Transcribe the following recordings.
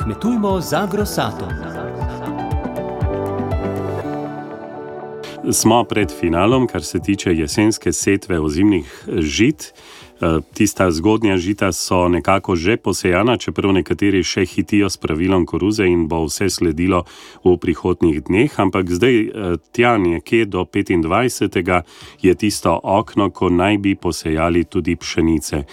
Kmetujmo z Agrosatom. Smo pred finalom, kar se tiče jesenske setve ozimnih žit. Tista zgodnja žita so nekako že posejana, čeprav nekateri še hitijo s pravilom koruze in bo vse sledilo v prihodnjih dneh, ampak zdaj tja nekje do 25. je tisto okno, ko naj bi posejali tudi pšenice.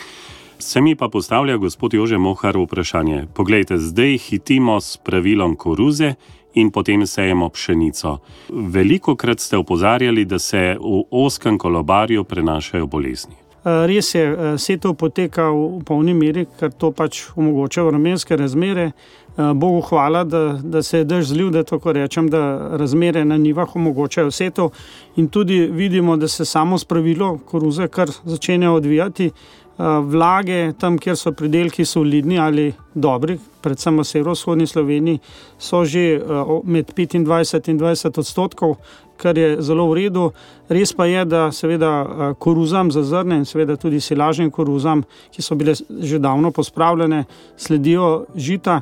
Se mi pa postavlja gospod Jože Mohar vprašanje. Poglejte, zdaj hitimo s pravilom koruze in potem sejemo pšenico. Velikokrat ste opozarjali, da se v ozkem kolobarju prenašajo bolezni. Res je, setev poteka v polni meri, ker to pač omogoča vremenske razmere. Bogu hvala, da se je dež zlil, da tako rečem, da razmere na njivah omogočajo setev in tudi vidimo, da se samo spravilo koruze kar začenja odvijati. Vlage tam, kjer so pridelki solidni ali dobri, predvsem v severovzhodni Sloveniji, so že med 25 in 20%, kar je zelo v redu. Res pa je, da seveda koruzam za zrne in seveda tudi silažnim koruzam, ki so bile že davno pospravljene, sledijo žita.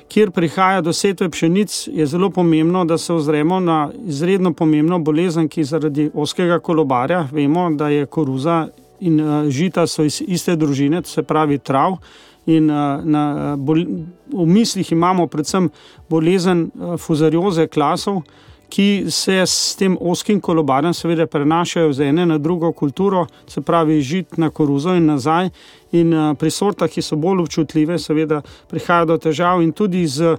Kjer prihaja do setve pšenic, je zelo pomembno, da se ozremo na izredno pomembno bolezen, ki zaradi ozkega kolobarja, vemo, da je koruza in žita so iz iste družine, to se pravi trav, in v mislih imamo predvsem bolezen fuzarioze klasov, ki se s tem ozkim kolobarjem seveda prenašajo z ene na drugo kulturo, se pravi žit na koruzo in nazaj, in pri sortah, ki so bolj občutljive, seveda prihaja do težav in tudi z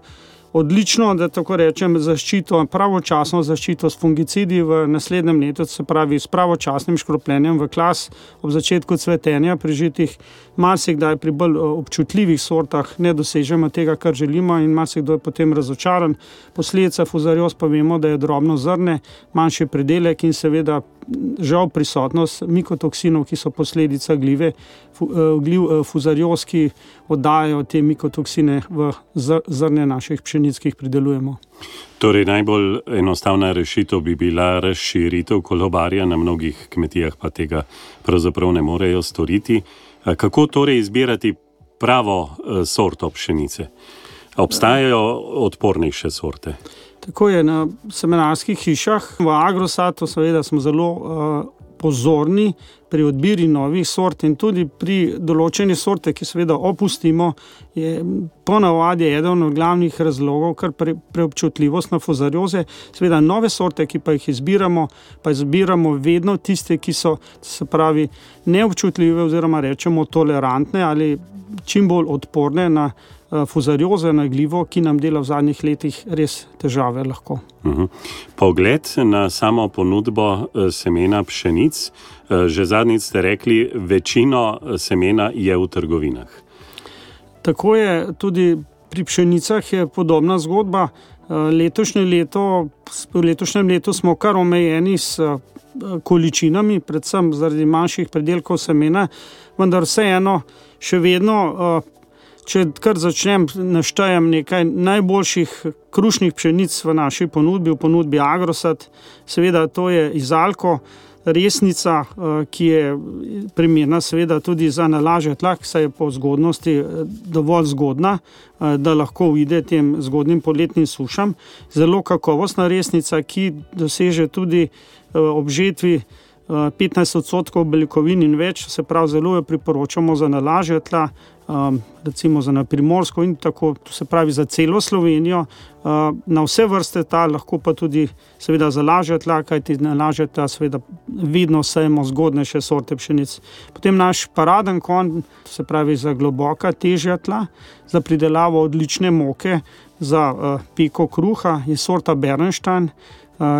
odlično, da tako rečem, zaščito, pravočasno zaščito s fungicidi v naslednjem letu, se pravi s pravočasnim škropljenjem v klas ob začetku cvetenja pri žitih. Marsikdaj pri bolj občutljivih sortah ne dosežemo tega, kar želimo, in marsikdo je potem razočaran. Posledica fuzarioz pa vemo, da je drobno zrne, manjši pridelek in seveda žal prisotnost mikotoksinov, ki so posledica gliv fuzarioz, ki oddajajo te mikotoksine v zrne naših pšenic, ki jih pridelujemo. Torej, najbolj enostavna rešitev bi bila razširitev kolobarja, na mnogih kmetijah pa tega pravzaprav ne morejo storiti. Kako torej izbirati pravo sorto pšenice? Obstajajo odpornejše sorte? Tako je, na semenarskih hišah v Agrosatu seveda smo zelo pozorni pri odbiri novih sort in tudi pri določeni sorte, ki seveda opustimo, je ponavadi eden od glavnih razlogov kar preobčutljivost na fuzarioze. Seveda nove sorte, ki pa jih izbiramo vedno tiste, ki so, se pravi, neobčutljive oziroma rečemo tolerantne ali čim bolj odporne na fuzarioze, na glivo, ki nam dela v zadnjih letih res težave lahko. Pogled na samo ponudbo semena pšenic. Že zadnjič ste rekli, večino semena je v trgovinah. Tako je, tudi pri pšenicah je podobna zgodba. V letošnjem letu smo kar omejeni s količinami, predvsem zaradi manjših pridelkov semena, vendar vseeno še vedno, če kar začnem, naštejem nekaj najboljših krušnih pšenic v naši ponudbi, v ponudbi Agrosat. Seveda to je Izalko, resnica, ki je primerna seveda tudi za nalaže tlak, saj je po zgodnosti dovolj zgodna, da lahko uide tem zgodnim poletnim sušam. Zelo kakovostna resnica, ki doseže tudi ob žetvi 15% beljakovin in več, se pravi zelo jo priporočamo za nalaže tla, recimo za na Primorsko in tako, to se pravi za celo Slovenijo, na vse vrste tal, lahko pa tudi seveda za lažja tla, kajti na lažja tla seveda vedno sejemo zgodnejše sorte pšenic. Potem naš paraden konj, to se pravi za globoka, težja tla, za pridelavo odlične moke, za peko kruha je sorta Bernstein,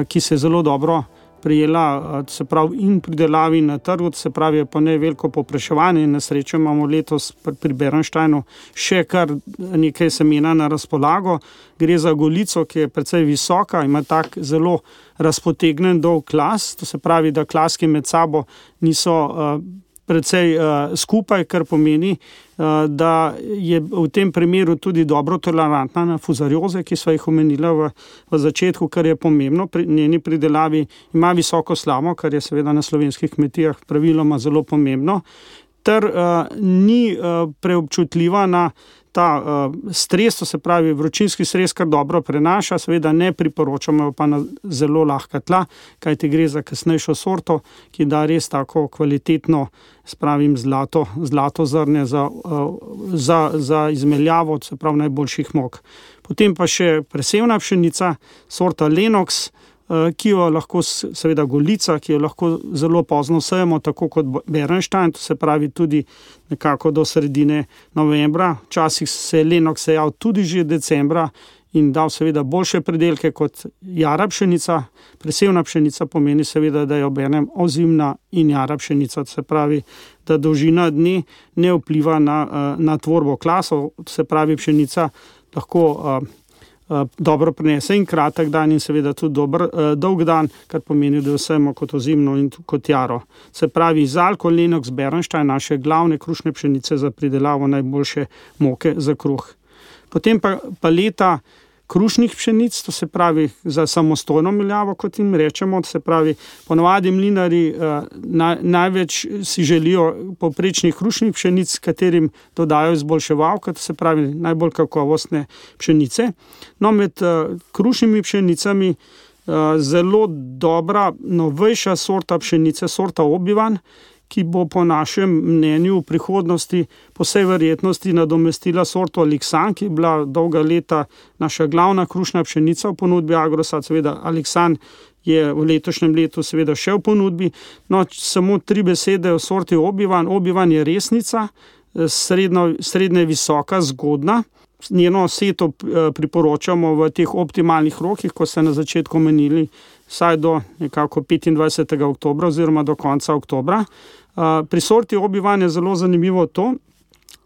ki se zelo dobro prijela, se pravi, in pridelavi na trgu, se pravi, je pa ne veliko povpraševanje in na srečo imamo letos pri Bernsteinu še kar nekaj semena na razpolago. Gre za golico, ki je precej visoka, ima tak zelo razpotegnen dolg klas, to se pravi, da klaski med sabo niso precej skupaj, kar pomeni, da je v tem primeru tudi dobro tolerantna na fuzarioze, ki sva jih omenila v začetku, kar je pomembno pri njeni pridelavi. Ima visoko slamo, kar je seveda na slovenskih kmetijah praviloma zelo pomembno. ter ni preobčutljiva na ta stres, to se pravi vročinski stres, kar dobro prenaša, seveda ne priporočamo pa na zelo lahka tla, kajti gre za kasnejšo sorto, ki da res tako kvalitetno, spravim zlato zrnje za izmeljavo, se pravi najboljših mok. Potem pa še presevna pšenica, sorta Lenox, ki jo lahko, seveda Golica, ki jo lahko zelo pozno sejemo, tako kot Bernstein, to se pravi tudi nekako do sredine novembra. Včasih se je Lenox sejal tudi že decembra in dal seveda boljše pridelke kot jara pšenica. Presevna pšenica pomeni seveda, da je obenem ozimna in jara pšenica, to se pravi, da dolžina dne ne vpliva na tvorbo klasov, to se pravi, pšenica lahko dobro prenese in kratek dan in seveda tudi dolg dan, kar pomeni, da vsemo kot ozimno in kot jaro. Se pravi, Izalko, Lenox, Bernstein, naše glavne krušne pšenice za pridelavo najboljše moke za kruh. Potem pa paleta krušnih pšenic, to se pravi za samostojno meljavo, kot jim rečemo, to se pravi, ponavadi mlinarji največ si želijo povprečnih krušnih pšenic, katerim dodajo izboljševalke, to se pravi najbolj kakovostne pšenice. No, med krušnimi pšenicami zelo dobra, novejša sorta pšenice, sorta Obi-Wan, ki bo po našem mnenju v prihodnosti po vsej verjetnosti nadomestila sorto Alexan, ki je bila dolga leta naša glavna krušna pšenica v ponudbi Agrosad. Seveda Alexan je v letošnjem letu seveda še v ponudbi. No, samo 3 besede o sorti Obi-Wan. Obi-Wan je resnica, srednje visoka, zgodna. Njeno seto priporočamo v teh optimalnih rokih, ko ste na začetku menili, vsaj do nekako 25. oktobra oziroma do konca oktobra. Pri sorti Obi-Wan je zelo zanimivo to,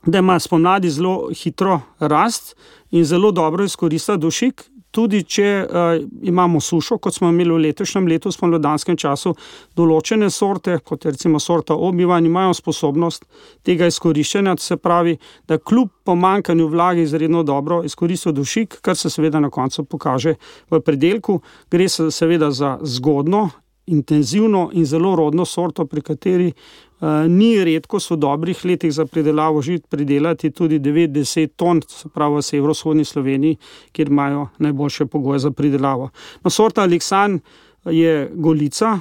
da ima spomladi zelo hitro rast in zelo dobro izkorista dušik, tudi če imamo sušo, kot smo imeli v letošnjem letu v spomladanskem času. Določene sorte, kot recimo sorta Obi-Wan, imajo sposobnost tega izkoriščenja, se pravi, da kljub pomanjkanju vlage izredno dobro izkoristijo dušik, kar se seveda na koncu pokaže v pridelku. Gre se seveda za zgodno, intenzivno in zelo rodno sorto, pri kateri ni redko v dobrih letih za pridelavo žit pridelati tudi 9-10 ton, se pravi v severovzhodni Sloveniji, kjer imajo najboljše pogoje za pridelavo. No, sorta Alexan je Golica,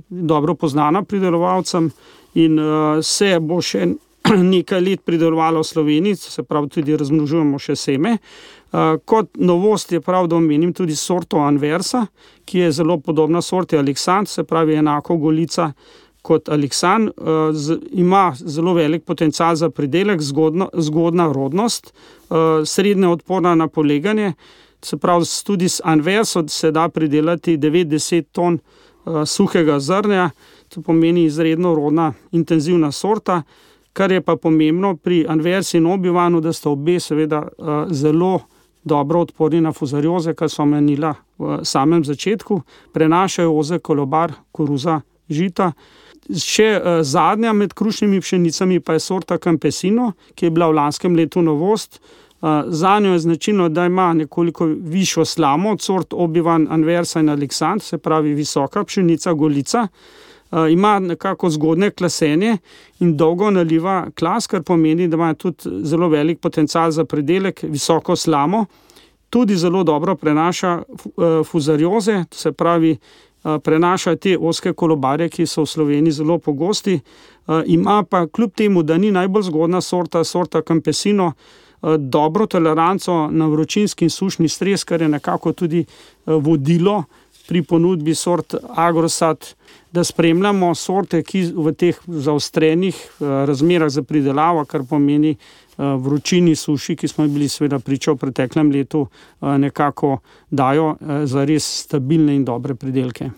dobro poznana pridelovalcem in se bo še nekaj let pridelovalo v Sloveniji, se pravi tudi razmnožujemo še seme. Kot novost je prav, da omenim tudi sorto Anversa, ki je zelo podobna sorti Alexan, se pravi enako Golica kot Alexan, ima zelo velik potencial za pridelek, zgodna rodnost, srednje odporna na poleganje, se pravi tudi s Anverso se da pridelati 9-10 ton suhega zrnja, to pomeni izredno rodna, intenzivna sorta. Kar je pa pomembno pri Anversi in Obi-Wanu, da sta obe seveda zelo dobro odporni na fuzarioze, kar so omenila v samem začetku, prenašajo ozek, kolobar, koruza, žita. Še zadnja med krušnimi pšenicami pa je sorta Campesino, ki je bila v lanskem letu novost. Zanjo je značilno, da ima nekoliko višjo slamo od sort Obi-Wan, Anversa in Alexan, se pravi visoka pšenica, Golica. Ima nekako zgodne klasenje in dolgo naliva klas, kar pomeni, da ima tudi zelo velik potencial za pridelek, visoko slamo. Tudi zelo dobro prenaša fuzarioze, se pravi prenaša te ozke kolobarje, ki so v Sloveniji zelo pogosti. Ima pa kljub temu, da ni najbolj zgodna sorta Campesino, dobro toleranco na vročinski in sušni stres, kar je nekako tudi vodilo pri ponudbi sort Agrosad, da spremljamo sorte, ki v teh zaostrenih razmerah za pridelavo, kar pomeni vročini, suši, ki smo bili seveda priča v preteklem letu, nekako dajo za res stabilne in dobre pridelke.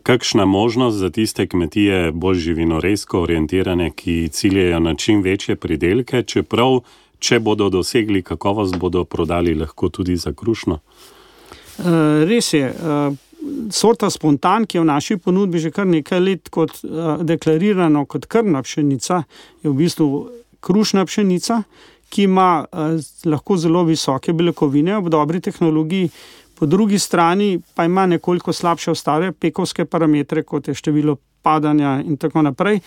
Kakšna možnost za tiste kmetije bolj živinoresko orientirane, ki ciljajo na čim večje pridelke, čeprav, če bodo dosegli kakovost, bodo prodali lahko tudi za krušno? Res je. Sorta Spontan, ki je v naši ponudbi že kar nekaj let kot deklarirano kot krmna pšenica, je v bistvu krušna pšenica, ki ima lahko zelo visoke beljakovine ob dobri tehnologiji, po drugi strani pa ima nekoliko slabše ostale pekovske parametre, kot je število padanja in tako naprej.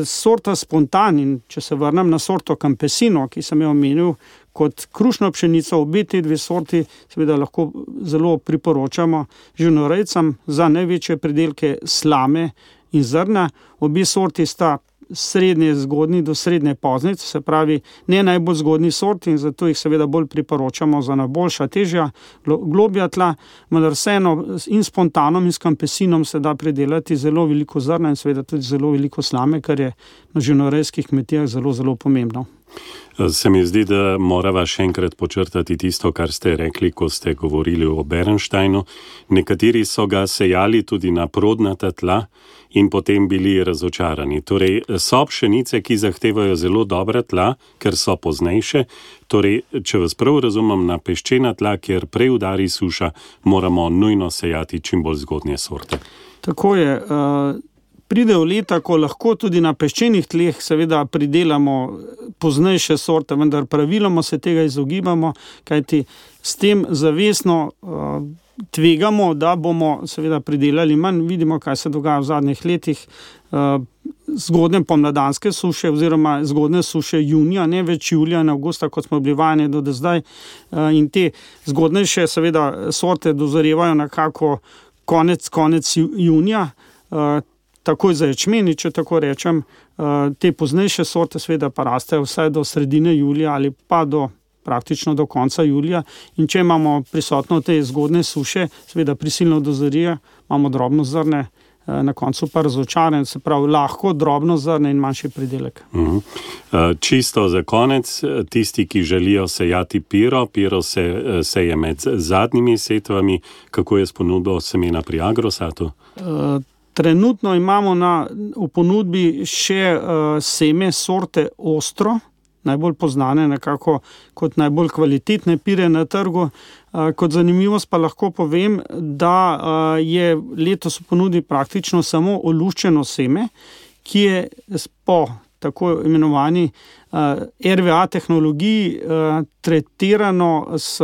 sorta Spontan, in če se vrnem na sorto Campesino, ki sem jo omenil kot krušno pšenico, obe te dve sorti seveda lahko zelo priporočamo živinorejcem za največje pridelke slame in zrna. Obe sorti sta srednje zgodnji do srednje poznic, se pravi ne najbolj zgodnji sorti, in zato jih seveda bolj priporočamo za najboljša, težja, globja tla, vendar vseeno in Spontanom in s Campesinom se da pridelati zelo veliko zrna in seveda tudi zelo veliko slame, kar je na živinorejskih kmetijah zelo, zelo pomembno. Se mi zdi, da morava še enkrat počrtati tisto, kar ste rekli, ko ste govorili o Bernsteinu. Nekateri so ga sejali tudi na prodnata tla in potem bili razočarani. Torej, so pšenice, ki zahtevajo zelo dobra tla, ker so poznejše. Torej, če vas prav razumem, na peščena tla, kjer prej udari suša, moramo nujno sejati čim bolj zgodnje sorte. Tako je. Pridejo leta, ko lahko tudi na peščenih tleh seveda pridelamo poznejše sorte, vendar praviloma se tega izogibamo, kajti s tem zavestno tvegamo, da bomo seveda pridelali manj. Vidimo, kaj se dogaja v zadnjih letih. Zgodne pomladanske suše oziroma zgodne suše junija, ne več julija in avgusta, kot smo bili vajeni do zdaj. In te zgodnejše seveda sorte dozorevajo nekako konec junija, takoj za ječmeni, če tako rečem. Te poznejše sorte seveda pa rastejo vsaj do sredine julija ali pa praktično do konca julija. In če imamo prisotno te zgodne suše, seveda prisilno dozorije, imamo drobno zrne, na koncu pa razočaran, se pravi lahko drobno zrne in manjši pridelek. Čisto za konec, tisti, ki želijo sejati piro se seje med zadnjimi setvami, kako je s ponudbo semena pri Agrosatu? Trenutno imamo v ponudbi še seme sorte Ostro, najbolj poznane nekako kot najbolj kvalitetne pire na trgu. Kot zanimivost pa lahko povem, da je letos v ponudbi praktično samo oluščeno seme, ki je po tako imenovani RVA tehnologiji tretirano s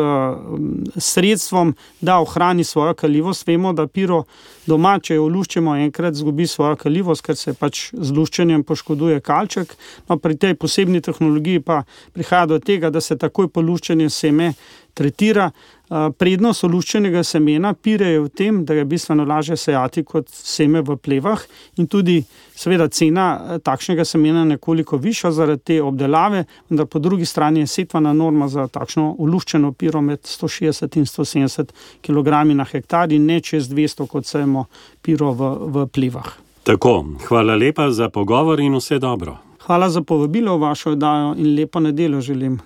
sredstvom, da ohrani svojo kaljivost. Vemo, da piro doma, če jo oluščemo enkrat, zgubi svojo kaljivost, ker se pač z luščenjem poškoduje kalček. No, pri tej posebni tehnologiji pa prihaja do tega, da se takoj po luščenju seme tretira. Prednost oluščenega semena pire je v tem, da je bistveno lažje sejati kot seme v plevah in tudi seveda cena takšnega semena nekoliko višja zaradi te obdelave, vendar po drugi strani je setvana norma za takšno oluščeno piro med 160 in 170 kg na hektar in ne čez 200, kot sejemo piro v plevah. Tako, hvala lepa za pogovor in vse dobro. Hvala za povabilo v vašo oddajo in lepo nedeljo želim.